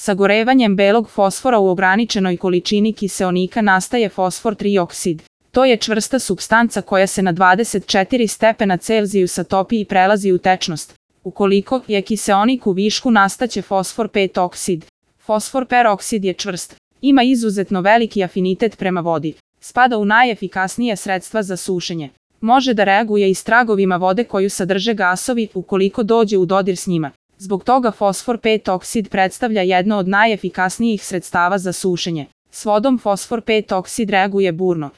Sagorevanjem belog fosfora u ograničenoj količini kiseonika nastaje fosfor trioksid. To je čvrsta supstanca koja se na 24 stepena Celzijusa topi i prelazi u tečnost. Ukoliko je kiseonik u višku nastaće fosfor 5 oksid. Fosfor peroksid je čvrst. Ima izuzetno veliki afinitet prema vodi. Spada u najefikasnije sredstva za sušenje. Može da reaguje i s tragovima vode koju sadrže gasovi ukoliko dođe u dodir s njima. Zbog toga fosfor 5 oksid predstavlja jedno od najefikasnijih sredstava za sušenje. S vodom fosfor 5 oksid reaguje burno.